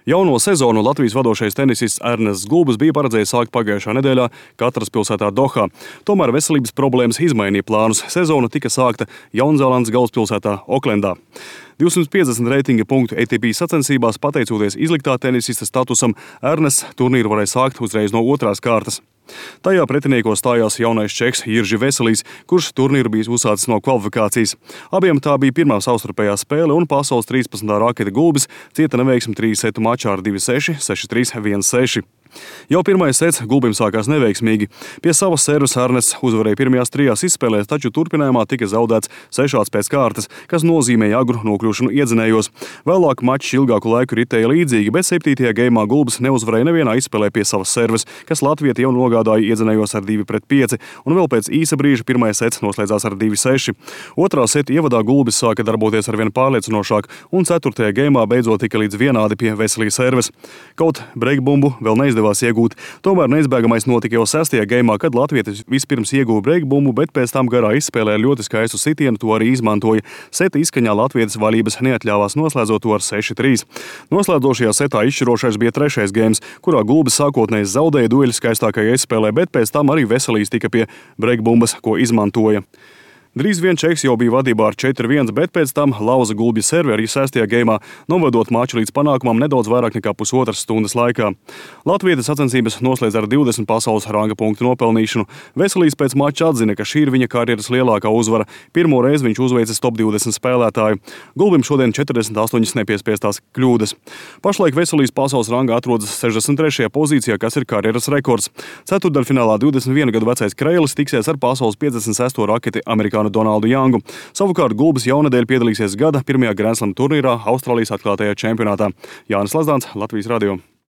Jauno sezonu Latvijas vadošais tenisists Ernests Gulbis bija paredzējis sākt pagājušā nedēļā Katras pilsētā Dohā. Tomēr veselības problēmas izmainīja plānus. Sezona tika sākta Jaunzēlandes galvaspilsētā Oklendā. 250 reitinga punktu ATP sacensībās, pateicoties izliktā tenisista statusam, Ernests turnīru varēja sākt uzreiz no otrās kārtas. Tajā pretiniekos stājās jaunais čeks Jiržis Veselīs, kurš turnīru bija uzsācis no kvalifikācijas. Abiem tā bija pirmā savstarpējā spēle, un pasaules 13. raketa Gulbis cieta neveiksmi 3 setu mačā ar 2-6, 6-3, 1-6. Jau pirmais sets Gulbim sākās neveiksmīgi. Pie savas servas Ernests uzvarēja pirmajās 3 izspēlēs, taču turpinājumā tika zaudēts 6 pēc kārtas, kas nozīmēja agru nokļūšanu iedzinējos. Vēlāk mačs ilgāku laiku ritēja līdzīgi, bet 7. geimā Gulbis neuzvarēja nevienā izspēlē pie savas servas, kas latvieti jau nogādāja iedzinējos ar 2-5, un vēl pēc īsa brīža pirmais sets noslēdzās ar 2-6. Otrā seta ievadā Gulbis sāka darboties arvien pārliecinošāk, un 4. geimā beidzot tika līdz vienādi pie Veselī servas. Kaut breikbumbu vēl neizdevās iegūt, tomēr neizbēgamais notika jau 6. geimā, kad latvietis vispirms ieguva breikbumbu, bet pēc tam garā izspēlē ar ļoti skaistu sitienu to arī izmantoja. Seta izskaņā latvietis vaļības neatļāvās, noslēdzot to ar 6-3. Noslēdzošajā setā izšķirošais bija 3. geims, kurā Gulbis sākotnēji zaudēja dueļu skaistākajā izspēlē, bet pēc tam arī Veselīs tika pie breikbumbas, ko izmantoja. Drīz vien čeks jau bija vadībā ar 4-1, bet pēc tam lauza Gulbja servi arī 6. geimā, novedot maču līdz panākumam nedaudz vairāk nekā pusotras stundas laikā. Latvietis sacensības noslēdz ar 20 pasaules ranga punktu nopelnīšanu. Veselīs pēc mača atzina, ka šī ir viņa karjeras lielākā uzvara. Pirmo reizi viņš uzveicis top 20 spēlētāju. Gulbim šodien 48 nepiespiestās kļūdas. Pašlaik Veselīs pasaules rangā atrodas 63. pozīcijā, kas ir karjeras rekords. Ceturtdaļfinālā 21 gadu vecais Kreilis tiksies ar pasaules 56. raketi amerikāņu Donaldu Jangu. Savukārt Gulbis jaunadēļ piedalīsies gada pirmajā Grand Slam turnīrā Austrālijas atklātajā čempionātā. Jānis Lazdāns, Latvijas radio.